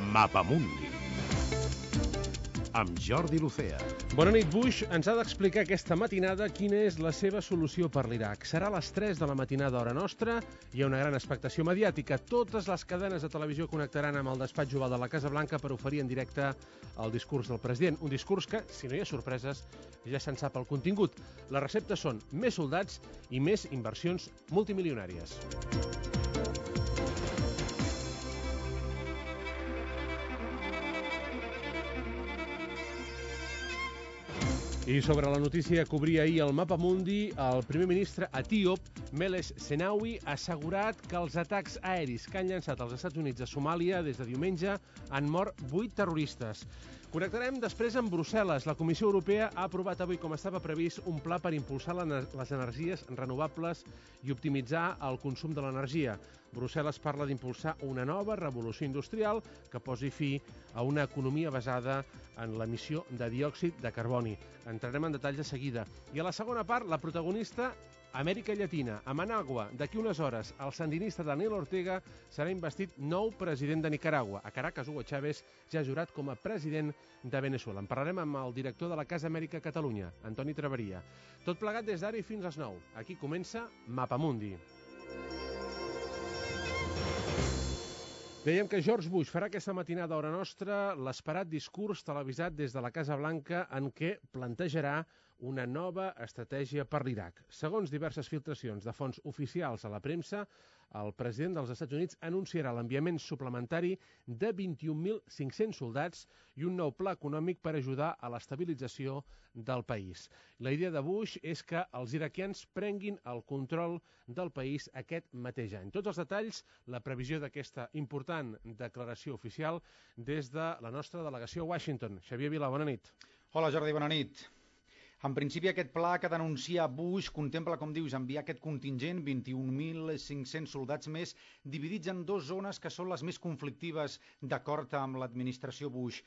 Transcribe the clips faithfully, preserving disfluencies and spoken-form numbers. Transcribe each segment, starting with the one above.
Mapamundi, amb Jordi Lucea. Bona nit. Bush ens ha d'explicar aquesta matinada quina és la seva solució per l'Iraq. Serà a les tres de la matinada hora nostra. Hi ha una gran expectació mediàtica. Totes les cadenes de televisió connectaran amb el despatx oval de la Casa Blanca per oferir en directe el discurs del president. Un discurs que, si no hi ha sorpreses, ja se'n sap el contingut. Les receptes són més soldats i més inversions multimilionàries. I sobre la notícia que obria ahir el Mapamundi, el primer ministre etíop, Meles Zenawi, ha assegurat que els atacs aeris que han llançat els Estats Units a Somàlia des de diumenge han mort vuit terroristes. Connectarem després amb Brussel·les. La Comissió Europea ha aprovat avui, com estava previst, un pla per impulsar les energies renovables i optimitzar el consum de l'energia. Brussel·les parla d'impulsar una nova revolució industrial que posi fi a una economia basada en l'emissió de diòxid de carboni. Entrarem en detalls de seguida. I a la segona part, la protagonista, Amèrica Llatina. A Managua, d'aquí unes hores, el sandinista Daniel Ortega serà investit nou president de Nicaragua. A Caracas, Hugo Chávez ja ha jurat com a president de Venezuela. En parlarem amb el director de la Casa Amèrica Catalunya, Antoni Traveria. Tot plegat des d'ara i fins a les nou. Aquí comença Mapamundi. Dèiem que George Bush farà aquesta matinada a hora nostra l'esperat discurs televisat des de la Casa Blanca en què plantejarà una nova estratègia per l'Iraq. Segons diverses filtracions de fonts oficials a la premsa, el president dels Estats Units anunciarà l'enviament suplementari de vint-i-un mil cinc-cents soldats i un nou pla econòmic per ajudar a l'estabilització del país. La idea de Bush és que els iraquians prenguin el control del país aquest mateix any. Tots els detalls, la previsió d'aquesta important declaració oficial des de la nostra delegació a Washington. Xavier Vila, bona nit. Hola Jordi, bona nit. En principi, aquest pla que denuncia Bush contempla, com dius, enviar aquest contingent, vint-i-un mil cinc-cents soldats més, dividits en dues zones que són les més conflictives d'acord amb l'administració Bush,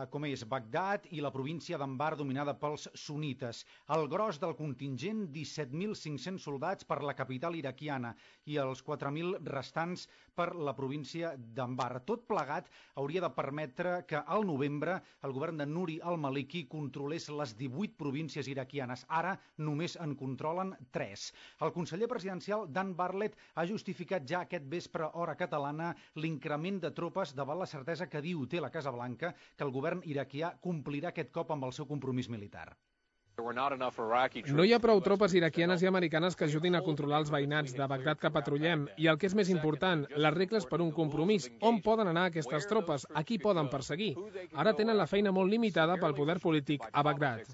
com és Bagdad i la província d'Anbar dominada pels sunites. El gros del contingent, disset mil cinc-cents soldats per la capital iraquiana i els quatre mil restants per la província d'Anbar. Tot plegat hauria de permetre que al novembre el govern de Nuri al-Maliki controlés les divuit províncies iraquianes. Ara només en controlen tres. El conseller presidencial Dan Bartlett ha justificat ja aquest vespre hora catalana l'increment de tropes davant la certesa que diu té la Casa Blanca que el govern iraquià complirà aquest cop amb el seu compromís militar. No hi ha prou tropes iraquianes i americanes que ajudin a controlar els veïnats de Bagdad que patrullem. I el que és més important, les regles per un compromís. On poden anar aquestes tropes? A qui poden perseguir? Ara tenen la feina molt limitada pel poder polític a Bagdad.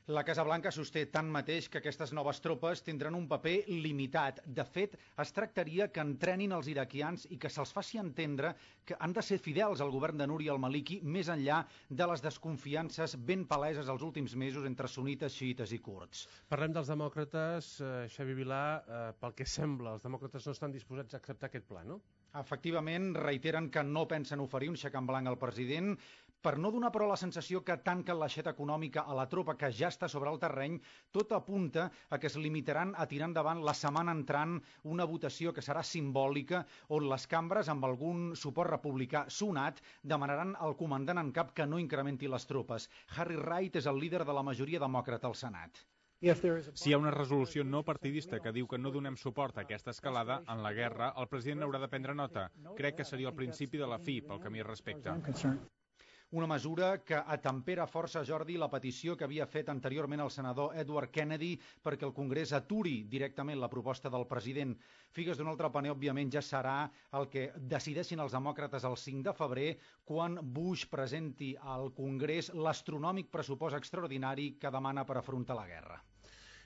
La Casa Blanca sosté tanmateix que aquestes noves tropes tindran un paper limitat. De fet, es tractaria que entrenin els iraquians i que se'ls faci entendre que han de ser fidels al govern de Nuri al-Maliki més enllà de les desconfiances ben paleses els últims mesos entre sunites, xiites i kurds. Parlem dels demòcrates. Eh, Xavi Vilà, eh, pel que sembla, els demòcrates no estan disposats a acceptar aquest pla, no? Efectivament, reiteren que no pensen oferir un xec en blanc al president, per no donar però la sensació que tanquen l'aixeta econòmica a la tropa que ja està sobre el terreny. Tot apunta a que es limitaran a tirar endavant la setmana entrant una votació que serà simbòlica on les cambres, amb algun suport republicà sonat, demanaran al comandant en cap que no incrementi les tropes. Harry Reid és el líder de la majoria demòcrata al Senat. Si hi ha una resolució no partidista que diu que no donem suport a aquesta escalada en la guerra, el president haurà de prendre nota. Crec que seria el principi de la fi pel que a mi respecta. Una mesura que atempera força, Jordi, la petició que havia fet anteriorment el senador Edward Kennedy perquè el Congrés aturi directament la proposta del president. Figues d'un altre paner, òbviament, ja serà el que decideixin els demòcrates el cinc de febrer quan Bush presenti al Congrés l'astronòmic pressupost extraordinari que demana per afrontar la guerra.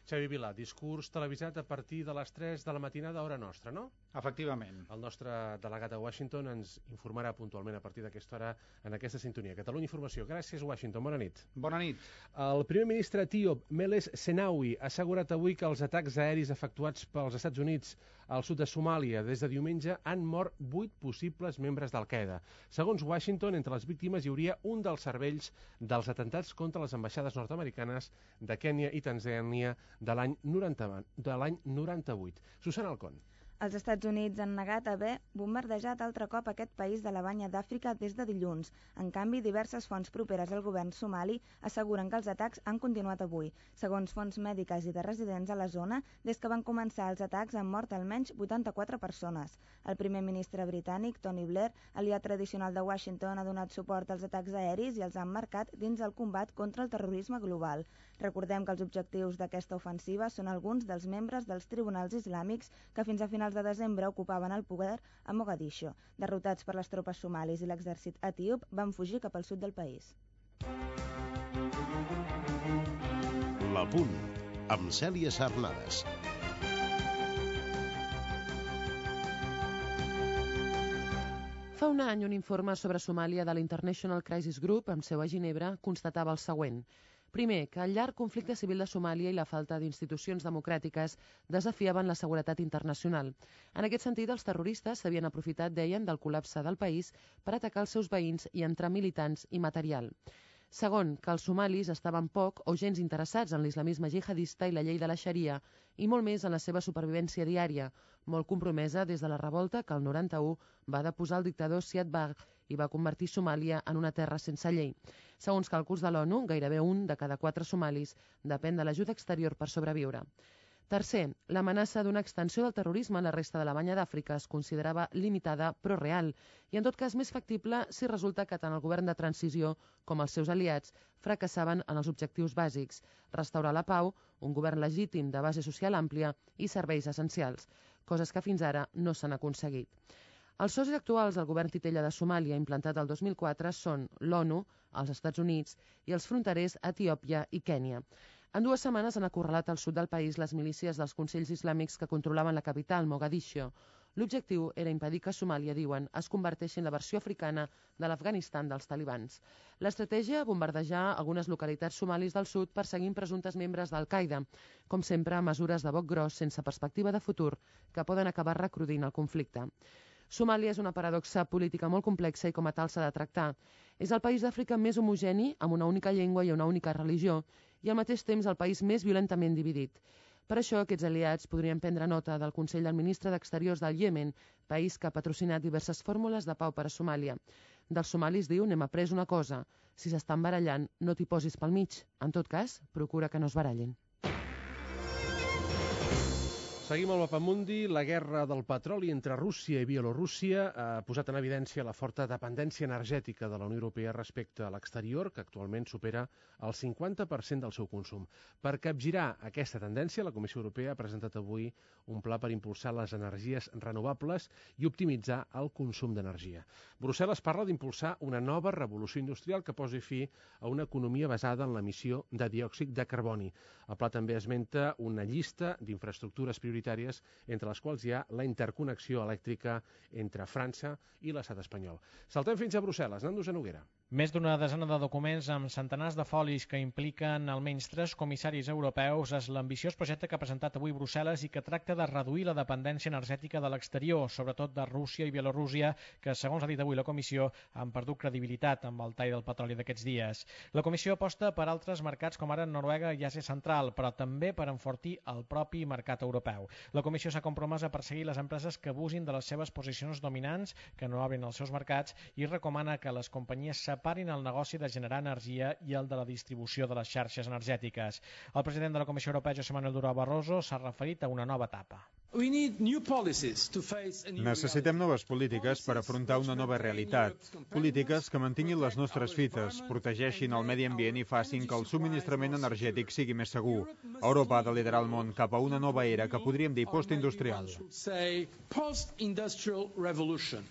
Xavi Vilà, discurs televisat a partir de les tres de la matinada, hora nostra, no? Efectivament. El nostre delegat a Washington ens informarà puntualment a partir d'aquesta hora en aquesta sintonia. Catalunya Informació. Gràcies, Washington. Bona nit. Bona nit. El primer ministre etíop, Meles Zenawi, ha assegurat avui que els atacs aeris efectuats pels Estats Units al sud de Somàlia des de diumenge han mort vuit possibles membres d'Al-Qaeda. Segons Washington, entre les víctimes hi hauria un dels cervells dels atentats contra les ambaixades nord-americanes de Kènia i Tanzània de l'any noranta-vuit. Susana Alcón. Els Estats Units han negat haver bombardejat altre cop aquest país de la banya d'Àfrica des de dilluns. En canvi, diverses fonts properes al govern somali asseguren que els atacs han continuat avui. Segons fonts mèdiques i de residents a la zona, des que van començar els atacs han mort almenys vuitanta-quatre persones. El primer ministre britànic, Tony Blair, aliat tradicional de Washington, ha donat suport als atacs aeris i els ha emmarcat dins el combat contra el terrorisme global. Recordem que els objectius d'aquesta ofensiva són alguns dels membres dels tribunals islàmics que fins a finals de desembre ocupaven el poder a Mogadiscio. Derrotats per les tropes somalis i l'exèrcit etíop, van fugir cap al sud del país. La Punt, amb Cèlia Sarnades. Fa un any, un informe sobre Somàlia de l'International Crisis Group, amb seu a Ginebra, constatava el següent. Primer, que el llarg conflicte civil de Somàlia i la falta d'institucions democràtiques desafiaven la seguretat internacional. En aquest sentit, els terroristes s'havien aprofitat, deien, del col·lapse del país per atacar els seus veïns i entrar militants i material. Segon, que els somalis estaven poc o gens interessats en l'islamisme jihadista i la llei de la Xaria, i molt més en la seva supervivència diària, molt compromesa des de la revolta que el noranta-u va deposar el dictador Siad Barre i va convertir Somàlia en una terra sense llei. Segons càlculs de l'ONU, gairebé un de cada quatre somalis depèn de l'ajuda exterior per sobreviure. Tercer, l'amenaça d'una extensió del terrorisme a la resta de la banya d'Àfrica es considerava limitada però real i en tot cas més factible si resulta que tant el govern de transició com els seus aliats fracassaven en els objectius bàsics: restaurar la pau, un govern legítim de base social àmplia i serveis essencials, coses que fins ara no s'han aconseguit. Els socis actuals del govern titella de Somàlia, implantat el dos mil quatre, són l'ONU, els Estats Units i els fronterers Etiòpia i Kènia. En dues setmanes han acorralat al sud del país les milícies dels consells islàmics que controlaven la capital, Mogadiscio. L'objectiu era impedir que Somàlia, diuen, es converteixi en la versió africana de l'Afganistan dels talibans. L'estratègia, bombardejar algunes localitats somalis del sud perseguint presumptes membres d'Al-Qaeda. Com sempre, mesures de boc gros sense perspectiva de futur que poden acabar recrudint el conflicte. Somàlia és una paradoxa política molt complexa i com a tal s'ha de tractar. És el país d'Àfrica més homogeni, amb una única llengua i una única religió, i al mateix temps el país més violentament dividit. Per això, aquests aliats podrien prendre nota del Consell del Ministre d'Exteriors del Iemen, país que ha patrocinat diverses fórmules de pau per a Somàlia. Dels somalis diu, n'hem après una cosa: si s'estan barallant, no t'hi posis pel mig. En tot cas, procura que no es barallin. Seguim al Mapamundi. La guerra del petroli entre Rússia i Bielorússia ha posat en evidència la forta dependència energètica de la Unió Europea respecte a l'exterior, que actualment supera el cinquanta per cent del seu consum. Per capgirar aquesta tendència, la Comissió Europea ha presentat avui un pla per impulsar les energies renovables i optimitzar el consum d'energia. Brussel·les parla d'impulsar una nova revolució industrial que posi fi a una economia basada en l'emissió de diòxid de carboni. El pla també esmenta una llista d'infraestructures prioritàries, entre les quals hi ha la interconnexió elèctrica entre França i l'estat espanyol. Saltem fins a Brussel·les. Nando Genoguera. Més d'una desena de documents amb centenars de folis que impliquen almenys tres comissaris europeus és l'ambiciós projecte que ha presentat avui Brussel·les i que tracta de reduir la dependència energètica de l'exterior, sobretot de Rússia i Bielorússia, que, segons ha dit avui la Comissió, han perdut credibilitat amb el tall del petroli d'aquests dies. La Comissió aposta per altres mercats com ara Noruega i Àsia Central, però també per enfortir el propi mercat europeu. La Comissió s'ha compromès a perseguir les empreses que abusin de les seves posicions dominants, que no obrin els seus mercats, i recomana que les companyies separin el negoci de generar energia i el de la distribució de les xarxes energètiques. El president de la Comissió Europea, José Manuel Durão Barroso, s'ha referit a una nova etapa. Necessitem noves polítiques per afrontar una nova realitat. Polítiques que mantinguin les nostres fites, protegeixin el medi ambient i facin que el subministrament energètic sigui més segur. Europa ha de liderar el món cap a una nova era que podríem dir postindustrial.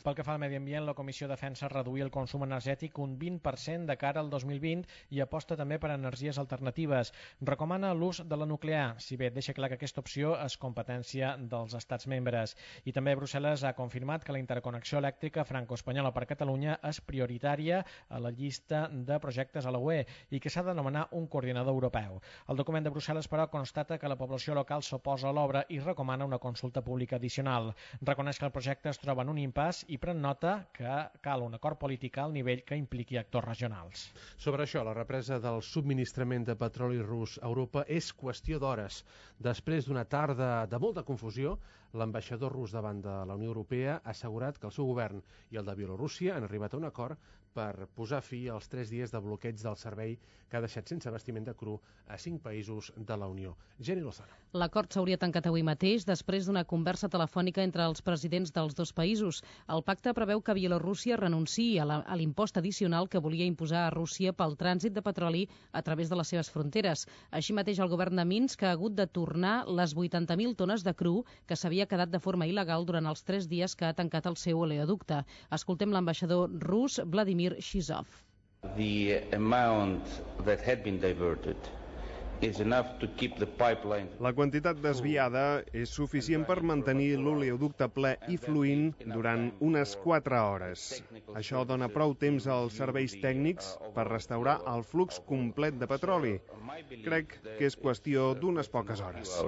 Pel que fa al medi ambient, la Comissió defensa reduir el consum energètic un vint per cent de cara al dos mil vint i aposta també per energies alternatives. Recomana l'ús de la nuclear, si bé deixa clar que aquesta opció és competència dels estats membres. I també Brussel·les ha confirmat que la interconnexió elèctrica franco-espanyola per Catalunya és prioritària a la llista de projectes a la U E i que s'ha d'anomenar un coordinador europeu. El document de Brussel·les, però, constata que la població local s'oposa a l'obra i recomana una consulta pública addicional. Reconeix que el projecte es troba en un impàs i pren nota que cal un acord polític al nivell que impliqui actors regionals. Sobre això, la represa del subministrament de petroli rus a Europa és qüestió d'hores. Després d'una tarda de molta confusió, L'ambaixador rus davant de la Unió Europea ha assegurat que el seu govern i el de Bielorússia han arribat a un acord per posar fi als tres dies de bloqueig del servei que ha deixat sense abastiment de cru a cinc països de la Unió. Jenny Lozano. L'acord s'hauria tancat avui mateix després d'una conversa telefònica entre els presidents dels dos països. El pacte preveu que Bielorússia renunciï a l'impost addicional que volia imposar a Rússia pel trànsit de petroli a través de les seves fronteres. Així mateix, el govern de Minsk ha hagut de tornar les vuitanta mil tones de cru que s'havia quedat de forma il·legal durant els tres dies que ha tancat el seu oleoducte. Escoltem l'ambaixador rus, Vladimir Shizov. The amount that had been diverted is enough to keep the pipeline. La quantitat desviada és suficient per mantenir l'oleoducte ple i fluint durant unes quatre hores. Això dona prou temps als serveis tècnics per restaurar el flux complet de petroli. Crec que és qüestió d'unes poques hores.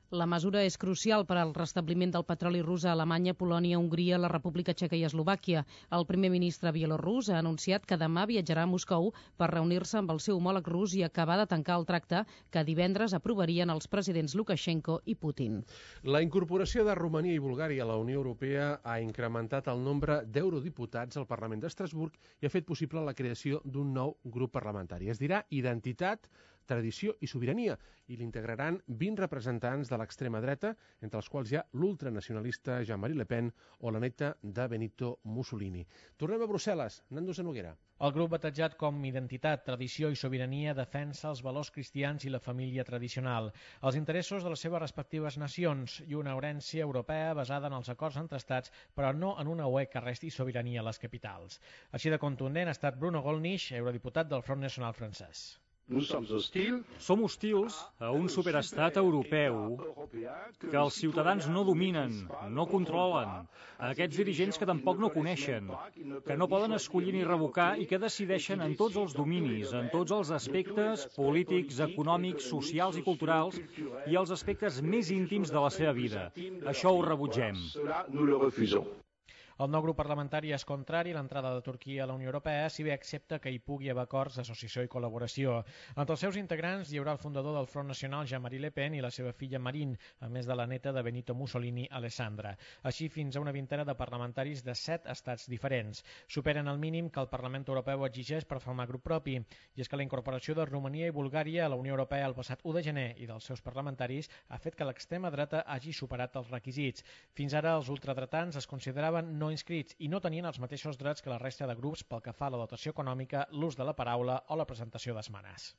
La mesura és crucial per al restabliment del petroli rus a Alemanya, Polònia, Hongria, la República Txeca i Eslovàquia. El primer ministre bielorrus ha anunciat que demà viatjarà a Moscou per reunir-se amb el seu homòleg rus i acabar de tancar el tracte que divendres aprovarien els presidents Lukashenko i Putin. La incorporació de Romania i Bulgària a la Unió Europea ha incrementat el nombre d'eurodiputats al Parlament d'Estrasburg i ha fet possible la creació d'un nou grup parlamentari. Es dirà Identitat, Tradició i Sobirania, i l'integraran vint representants de l'extrema dreta, entre els quals hi ha l'ultranacionalista Jean-Marie Le Pen o la neta de Benito Mussolini. Tornem a Brussel·les. Nando Sanoguera. El grup batejat com Identitat, Tradició i Sobirania defensa els valors cristians i la família tradicional, els interessos de les seves respectives nacions i una herència europea basada en els acords entre estats, però no en una U E que resti sobirania a les capitals. Així de contundent ha estat Bruno Gollnisch, eurodiputat del Front Nacional francès. Som hostils a un superestat europeu que els ciutadans no dominen, no controlen, a aquests dirigents que tampoc no coneixen, que no poden escollir ni revocar i que decideixen en tots els dominis, en tots els aspectes polítics, econòmics, socials i culturals i els aspectes més íntims de la seva vida. Això ho rebutgem. El nou grup parlamentari és contrari a l'entrada de Turquia a la Unió Europea, si bé accepta que hi pugui haver acords d'associació i col·laboració. Entre els seus integrants hi haurà el fundador del Front Nacional, Jean-Marie Le Pen, i la seva filla Marine, a més de la neta de Benito Mussolini, Alessandra. Així, fins a una vintena de parlamentaris de set estats diferents. Superen el mínim que el Parlament Europeu exigeix per formar grup propi, i és que la incorporació de Romania i Bulgària a la Unió Europea el passat u de gener i dels seus parlamentaris ha fet que l'extrema dreta hagi superat els requisits. Fins ara, els ultradretans es consideraven no inscrits i no tenien els mateixos drets que la resta de grups pel que fa a la dotació econòmica, l'ús de la paraula o la presentació d'esmenes.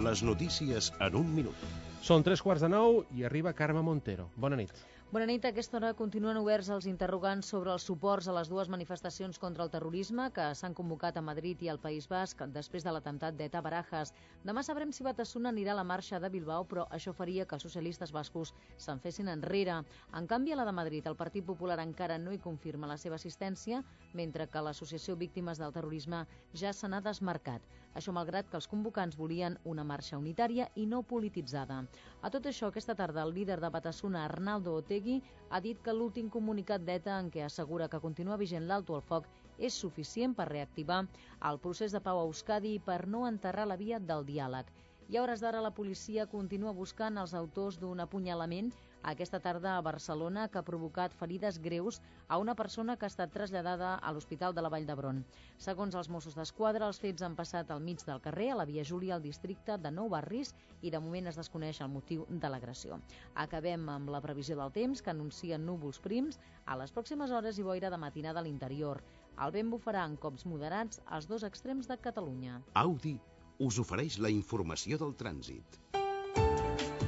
Les notícies en un minut. Són tres quarts de nou i arriba Carme Montero. Bona nit. Bona nit. A aquesta hora continuen oberts els interrogants sobre els suports a les dues manifestacions contra el terrorisme que s'han convocat a Madrid i al País Basc després de l'atemptat d'Eta Barajas. Demà sabrem si Batasuna anirà a la marxa de Bilbao, però això faria que els socialistes bascos se'n fessin enrere. En canvi, a la de Madrid, el Partit Popular encara no hi confirma la seva assistència, mentre que l'Associació Víctimes del Terrorisme ja se n'ha desmarcat. Això malgrat que els convocants volien una marxa unitària i no polititzada. A tot això, aquesta tarda, el líder de Batasuna, Arnaldo Otegi, ha dit que l'últim comunicat d'Eta en què assegura que continua vigent l'alto al foc és suficient per reactivar el procés de pau a Euskadi i per no enterrar la via del diàleg. I a hores d'ara la policia continua buscant els autors d'un apunyalament aquesta tarda a Barcelona que ha provocat ferides greus a una persona que ha estat traslladada a l'Hospital de la Vall d'Hebron. Segons els Mossos d'Esquadra, els fets han passat al mig del carrer, a la Via Júlia, al districte de Nou Barris, i de moment es desconeix el motiu de l'agressió. Acabem amb la previsió del temps, que anuncia núvols prims. A les pròximes hores hi boira de matinada a l'interior. El vent bufarà en cops moderats als dos extrems de Catalunya. Audi us ofereix la informació del trànsit.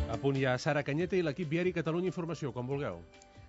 A punt hi ha Sara Canyeta i l'equip viari Catalunya Informació, com vulgueu.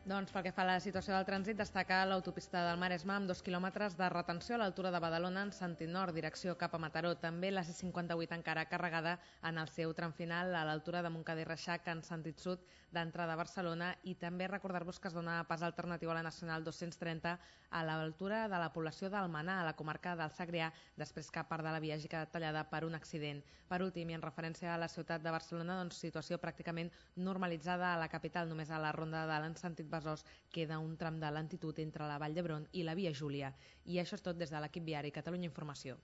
Doncs pel que fa a la situació del trànsit, destaca l'autopista del Maresme amb dos quilòmetres de retenció a l'altura de Badalona en sentit nord, direcció cap a Mataró. També la C cinquanta-vuit encara carregada en el seu tram final a l'altura de Montcada i Reixac en sentit sud d'entrada a Barcelona, i també recordar-vos que es dona pas alternatiu a la Nacional dos-cents trenta a l'altura de la població d'Almenar, a la comarca del Segrià, després que part de la via hagi quedat tallada per un accident. Per últim, i en referència a la ciutat de Barcelona, doncs, situació pràcticament normalitzada a la capital, només a la Ronda de l'en sentit Besòs queda un tram de lentitud entre la Vall d'Hebron i la Via Júlia. I això és tot des de l'equip viari Catalunya Informació.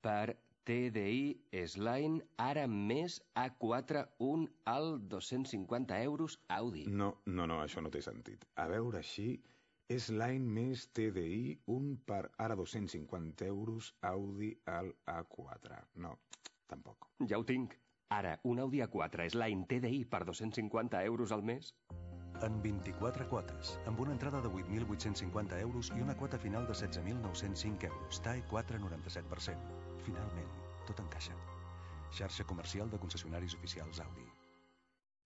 Per T D I Sline ara més A quatre un al dos-cents cinquanta euros Audi. No, no, no, això no té sentit. A veure així, Sline més T D I un per ara dos-cents cinquanta euros Audi al A quatre. No, tampoc. Ja ho tinc. Ara, un Audi A quatre Sline T D I per dos-cents cinquanta euros al mes. En vint-i-quatre quotes, amb una entrada de vuit mil vuit-cents cinquanta euros i una quota final de setze mil nou-cents cinc euros. T A E quatre noranta-set per cent. Finalment, tot encaixa. Xarxa comercial de concessionaris oficials Audi.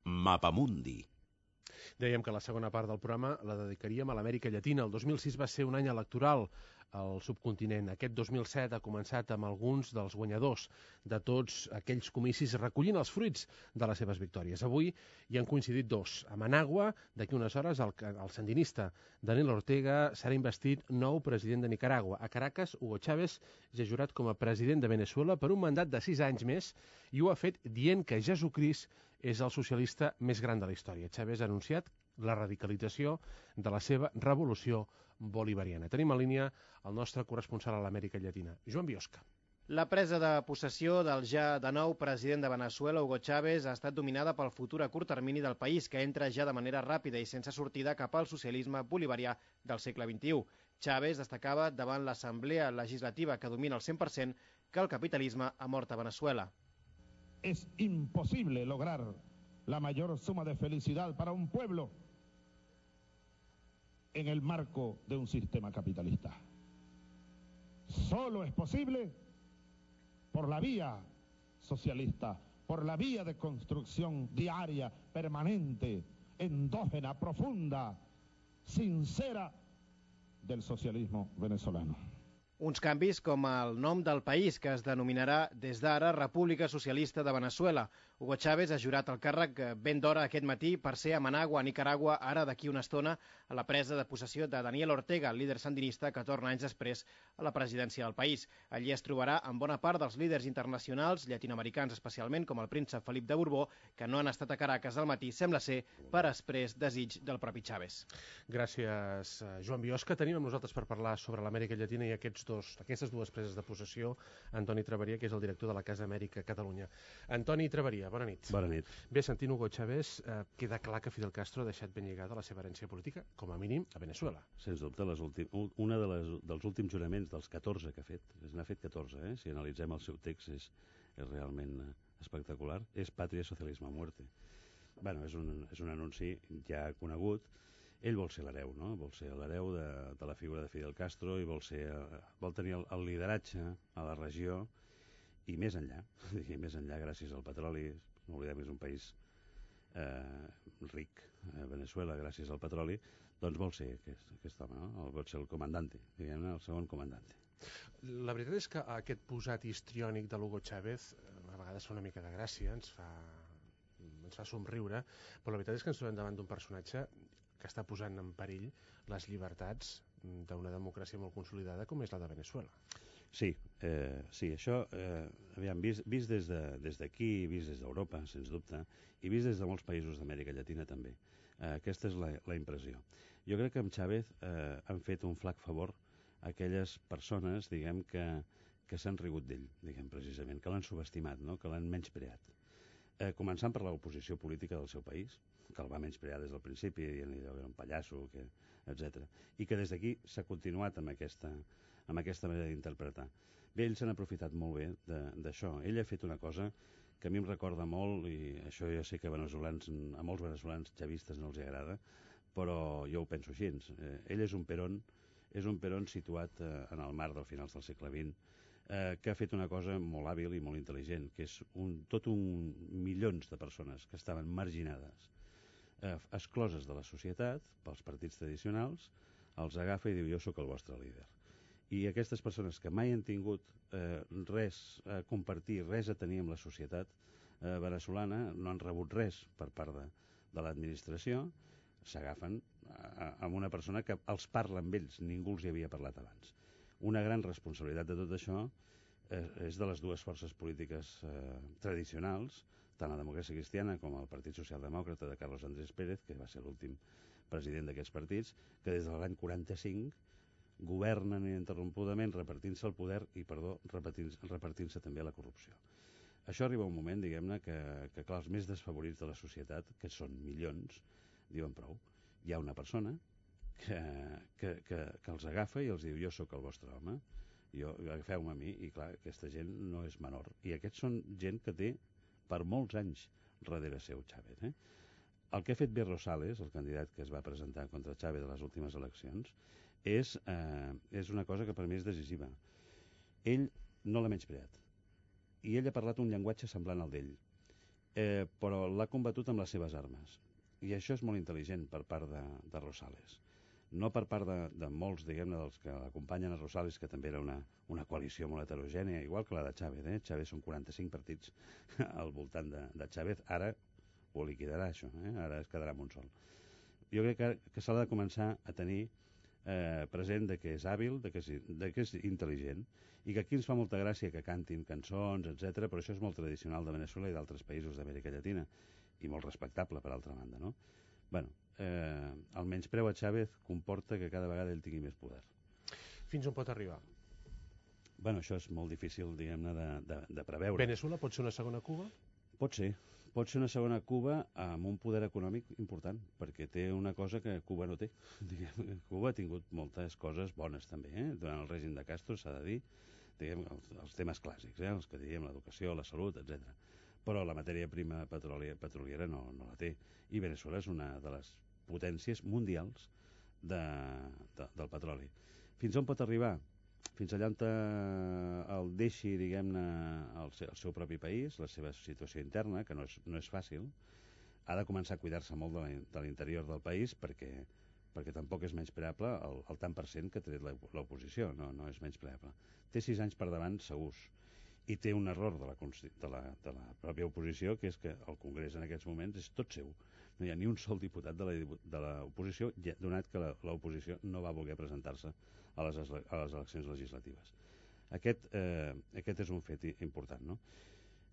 Mapamundi. Dèiem que la segona part del programa la dedicaríem a l'Amèrica Llatina. El dos mil sis va ser un any electoral al subcontinent. Aquest dos mil set ha començat amb alguns dels guanyadors de tots aquells comicis recollint els fruits de les seves victòries. Avui hi han coincidit dos. A Managua, d'aquí unes hores, el, el sandinista Daniel Ortega serà investit nou president de Nicaragua. A Caracas, Hugo Chávez ja ha jurat com a president de Venezuela per un mandat de sis anys més i ho ha fet dient que Jesucrist és el socialista més gran de la història. Chávez ha anunciat la radicalització de la seva revolució bolivariana. Tenim en línia el nostre corresponsal a l'Amèrica Llatina, Joan Biosca. La presa de possessió del ja de nou president de Venezuela, Hugo Chávez, ha estat dominada pel futur a curt termini del país, que entra ja de manera ràpida i sense sortida cap al socialisme bolivarià del segle vint-i-u. Chávez destacava davant l'Assemblea Legislativa, que domina el cent per cent, que el capitalisme ha mort a Venezuela. Es imposible lograr la mayor suma de felicidad para un pueblo en el marco de un sistema capitalista. Solo es posible por la vía socialista, por la vía de construcción diaria, permanente, endógena, profunda, sincera del socialismo venezolano. Uns canvis com el nom del país, que es denominarà des d'ara República Socialista de Venezuela. Hugo Chávez ha jurat el càrrec ben d'hora aquest matí per ser a Managua, Nicaragua, ara d'aquí una estona, a la presa de possessió de Daniel Ortega, el líder sandinista que torna anys després a la presidència del país. Allí es trobarà amb bona part dels líders internacionals, llatinoamericans especialment, com el príncep Felip de Borbó, que no han estat a Caracas al matí, sembla ser per exprés desig del propi Chávez. Gràcies, Joan Biosca. Tenim amb nosaltres per parlar sobre l'Amèrica Llatina i aquests dos, aquestes dues preses de possessió, Antoni Traveria, que és el director de la Casa Amèrica Catalunya. Antoni Traveria, bona nit. Bona nit. Bé, sentint Hugo Chávez, eh, queda clar que Fidel Castro ha deixat ben lligada la seva herència política, com a mínim, a Venezuela. Sens dubte, les últim, una de les, dels últims juraments, dels catorze que ha fet, n'ha fet catorze, eh? Si analitzem el seu text és, és realment espectacular, és Pàtria, Socialisme, Muerte. Bueno, és un, és un anunci ja conegut. Ell vol ser l'hereu, no? Vol ser l'hereu de, de la figura de Fidel Castro i vol, ser, vol tenir el, el lideratge a la regió i més enllà, i més enllà gràcies al petroli. No oblidem que és un país eh, ric, eh, Venezuela, gràcies al petroli, doncs vol ser aquest, aquest home, no? Vol ser el comandante, diguem-ne, el segon comandante. La veritat és que aquest posat histriònic de l'Hugo Chávez a vegades fa una mica de gràcia, ens fa, ens fa somriure, però la veritat és que ens trobem davant d'un personatge que està posant en perill les llibertats d'una democràcia molt consolidada com és la de Venezuela. Sí, eh, sí, això, eh, aviam, vist, vist des d'aquí, de, vist des d'Europa, sens dubte, i vist des de molts països d'Amèrica Llatina també. Eh, aquesta és la, la impressió. Jo crec que amb Chávez eh, han fet un flac favor a aquelles persones, diguem, que, que s'han rigut d'ell, diguem, precisament, que l'han subestimat, no? Que l'han menyspreat. Eh, començant per l'oposició política del seu país, que el va menysprear des del principi, dient-li que era un pallasso, que, etcètera. I que des d'aquí s'ha continuat amb aquesta, amb aquesta manera d'interpretar. Bé, ells s'han aprofitat molt bé d'això. Ell ha fet una cosa que a mi em recorda molt, i això jo sé que a, veneçolans, a molts veneçolans chavistes no els agrada, però jo ho penso així. Eh, ell és un Perón, és un Perón situat eh, en el mar del finals del segle vint, eh, que ha fet una cosa molt hàbil i molt intel·ligent, que és un, tot un milions de persones que estaven marginades, eh, excloses de la societat pels partits tradicionals, els agafa i diu jo sóc el vostre líder. I aquestes persones que mai han tingut eh, res a compartir, res a tenir amb la societat eh, veneçolana, no han rebut res per part de, de l'administració, s'agafen amb una persona que els parla amb ells, ningú els hi havia parlat abans. Una gran responsabilitat de tot això eh, és de les dues forces polítiques eh, tradicionals, tant la democràcia cristiana com el Partit Socialdemòcrata de Carlos Andrés Pérez, que va ser l'últim president d'aquests partits, que des de l'any quaranta-cinc governen ininterrompudament repartint-se el poder i, perdó, repartint-se repartint també la corrupció. Això arriba un moment, diguem-ne, que, que clar, els més desfavorits de la societat, que són milions, diuen prou. Hi ha una persona que, que, que, que els agafa i els diu jo sóc el vostre home, jo, agafeu-me a mi, i clar, aquesta gent no és menor. I aquests són gent que té per molts anys darrere seu Chávez. Eh? El que ha fet B. Rosales, el candidat que es va presentar contra Chávez a les últimes eleccions, és, eh, és una cosa que per mi és decisiva. Ell no l'ha menyspreat. I ell ha parlat un llenguatge semblant al d'ell, eh, però l'ha combatut amb les seves armes. I això és molt intel·ligent per part de, de Rosales. No per part de, de molts, diguem-ne, dels que acompanyen a Rosales, que també era una, una coalició molt heterogènia, igual que la de Chávez. Eh? Chávez són quaranta-cinc partits al voltant de, de Chávez. Ara ho liquidarà, això. Eh? Ara es quedarà amb un sol. Jo crec que, que s'ha de començar a tenir eh, present de que és hàbil, de que és, de que és intel·ligent, i que aquí ens fa molta gràcia que cantin cançons, etcètera, però això és molt tradicional de Veneçuela i d'altres països d'Amèrica Llatina, i molt respectable, per altra banda, no? Bueno, eh, el menyspreu a Chávez comporta que cada vegada ell tingui més poder. Fins on pot arribar? Bueno, això és molt difícil, diguem-ne, de, de, de preveure. Veneçuela pot ser una segona Cuba? Pot ser. Pot ser una segona Cuba amb un poder econòmic important, perquè té una cosa que Cuba no té. Diguem, Cuba ha tingut moltes coses bones també, eh? Durant el règim de Castro, s'ha de dir, diguem, els, els temes clàssics, eh? Els que diguem, l'educació, la salut, etcètera. Però la matèria prima petroliera, petroliera no, no la té. I Veneçuela és una de les potències mundials de, de, del petroli. Fins on pot arribar? Fins allà on el deixi, diguem-ne, el, el seu propi país, la seva situació interna, que no és, no és fàcil, ha de començar a cuidar-se molt de l'interior del país perquè, perquè tampoc és menyspreable el, el tant per cent que ha tret l'oposició, no, no és menyspreable. Té sis anys per davant segurs, i té un error de la, de, la, de la pròpia oposició, que és que el Congrés en aquests moments és tot seu. No hi ha ni un sol diputat de l'oposició, donat que l'oposició no va voler presentar-se a les, a les eleccions legislatives. Aquest, eh, aquest és un fet important, no?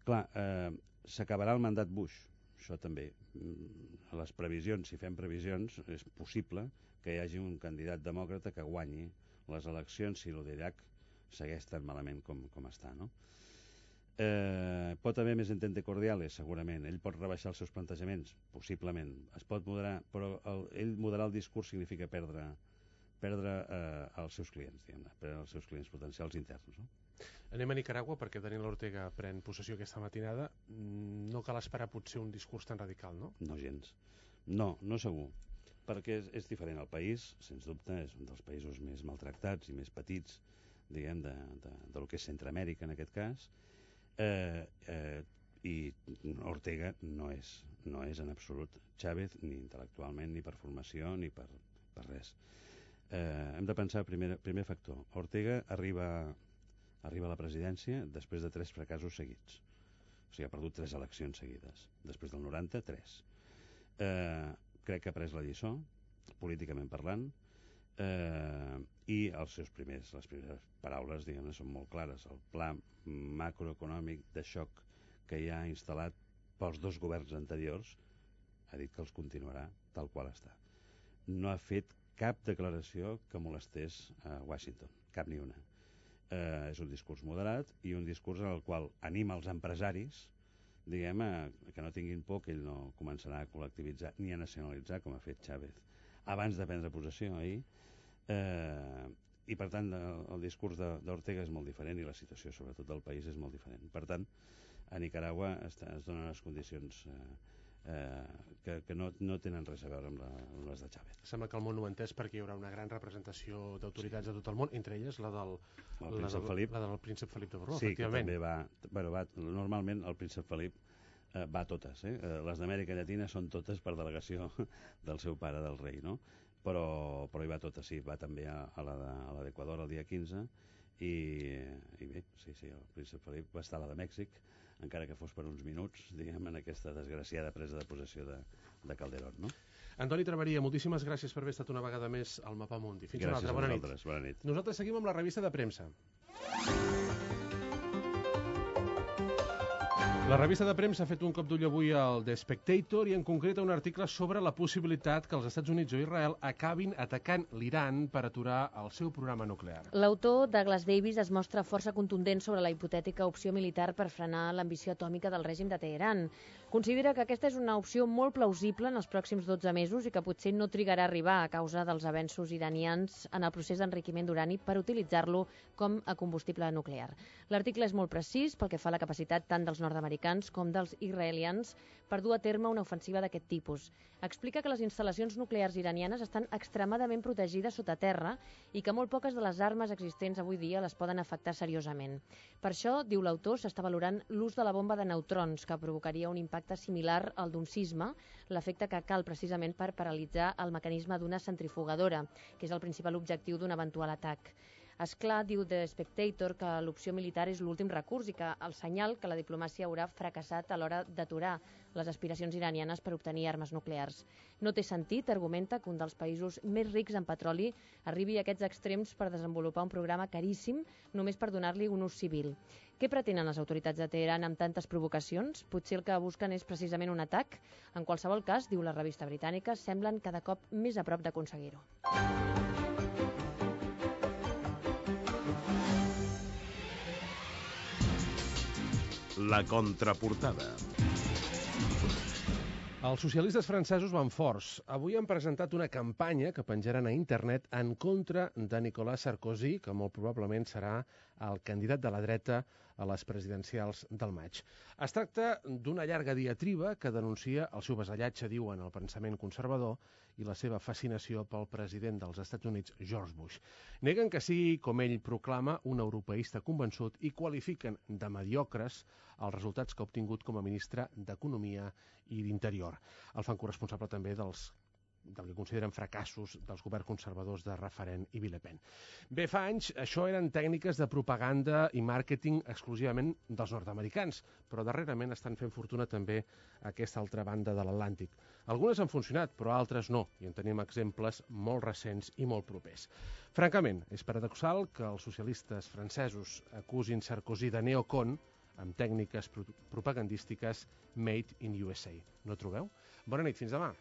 Clar, eh, s'acabarà el mandat Bush, això també. A les previsions, si fem previsions, és possible que hi hagi un candidat demòcrata que guanyi les eleccions si l'Iraq segueix tan malament com, com està, no? Eh, pot haver més entente cordiales, segurament. Ell pot rebaixar els seus plantejaments, possiblement. Es pot moderar, però el, ell moderar el discurs significa perdre, perdre eh, els seus clients, diguem-ne, perdre els seus clients potencials interns, no? Anem a Nicaragua, perquè Daniel Ortega pren possessió aquesta matinada. No cal esperar potser un discurs tan radical, no? No gens. No, no segur. Perquè és, és diferent. El país, sens dubte, és un dels països més maltractats i més petits, diguem, de, de, de lo que és Centroamèrica, en aquest cas. Eh, eh, i Ortega no és, no és en absolut Chávez, ni intel·lectualment, ni per formació, ni per, per res. Eh, hem de pensar, primer, primer factor, Ortega arriba, arriba a la presidència després de tres fracassos seguits. O sigui, ha perdut tres eleccions seguides. Després del noranta, tres. Eh, crec que ha pres la lliçó, políticament parlant, eh, i els seus primers, les primeres paraules, diguem-ne, són molt clares. El pla macroeconòmic de xoc que hi ha instal·lat pels dos governs anteriors ha dit que els continuarà tal qual està. No ha fet cap declaració que molestés a Washington, cap ni una. Eh, és un discurs moderat i un discurs en el qual anima els empresaris, diguem, a, que no tinguin por, que ell no començarà a col·lectivitzar ni a nacionalitzar, com ha fet Chávez abans de prendre possessió ahir. Eh, i per tant el, el discurs d'Ortega és molt diferent i la situació sobretot del país és molt diferent. Per tant, a Nicaragua es, es donen les condicions eh, eh, que, que no, no tenen res a veure amb, la, amb les de Chávez. Sembla que el món ho ha entès perquè hi haurà una gran representació d'autoritats sí. de tot el món, entre elles la del, el la del, Felip, la del príncep Felip de Borbó, sí, efectivament. Que també va, bueno, va, normalment el príncep Felip eh, va a totes, eh? Les d'Amèrica Llatina són totes per delegació del seu pare, del rei, no? Però, però hi va tota, sí, va també a, a la d'Equador el dia quinze i, i bé, sí, sí, el príncep Felip va estar a la de Mèxic, encara que fos per uns minuts, diguem, en aquesta desgraciada presa de possessió de, de Calderón, no? Antoni Traveria, moltíssimes gràcies per haver estat una vegada més al Mapamundi. Fins gràcies una altra, bona nit. Gràcies a vosaltres, bona nit. Nosaltres seguim amb la revista de premsa. La revista de premsa ha fet un cop d'ull avui al The Spectator i en concret un article sobre la possibilitat que els Estats Units o Israel acabin atacant l'Iran per aturar el seu programa nuclear. L'autor, Douglas Davis, es mostra força contundent sobre la hipotètica opció militar per frenar l'ambició atòmica del règim de Teheran. Considera que aquesta és una opció molt plausible en els pròxims dotze mesos i que potser no trigarà a arribar a causa dels avenços iranians en el procés d'enriquiment d'urani per utilitzar-lo com a combustible nuclear. L'article és molt precís pel que fa a la capacitat tant dels nord-americans com dels israelians per dur a terme una ofensiva d'aquest tipus. Explica que les instal·lacions nuclears iranianes estan extremadament protegides sota terra i que molt poques de les armes existents avui dia les poden afectar seriosament. Per això, diu l'autor, s'està valorant l'ús de la bomba de neutrons, que provocaria un impacte similar al d'un sisme, l'efecte que cal precisament per paralitzar el mecanisme d'una centrifugadora, que és el principal objectiu d'un eventual atac. És clar, diu The Spectator, que l'opció militar és l'últim recurs i que el senyal que la diplomàcia haurà fracassat a l'hora d'aturar les aspiracions iranianes per obtenir armes nuclears. No té sentit, argumenta, que un dels països més rics en petroli arribi a aquests extrems per desenvolupar un programa caríssim només per donar-li un ús civil. Què pretenen les autoritats de Teheran amb tantes provocacions? Potser el que busquen és precisament un atac? En qualsevol cas, diu la revista britànica, semblen cada cop més a prop d'aconseguir-ho. La contraportada. Els socialistes francesos van forts. Avui han presentat una campanya que penjaran a internet en contra de Nicolas Sarkozy, que molt probablement serà el candidat de la dreta a les presidencials del maig. Es tracta d'una llarga diatriba que denuncia el seu vasallatge, diuen, al pensament conservador i la seva fascinació pel president dels Estats Units, George Bush. Neguen que sigui, com ell proclama, un europeista convençut i qualifiquen de mediocres els resultats que ha obtingut com a ministre d'Economia i d'Interior. El fan corresponsable també dels del que consideren fracassos dels governs conservadors de Raffarin i Villepin. Bé, fa anys això eren tècniques de propaganda i màrqueting exclusivament dels nord-americans, però darrerament estan fent fortuna també a aquesta altra banda de l'Atlàntic. Algunes han funcionat, però altres no, i en tenim exemples molt recents i molt propers. Francament, és paradoxal que els socialistes francesos acusin Sarkozy de neocon amb tècniques pro propagandístiques made in U S A. No trobeu? Bona nit, fins demà.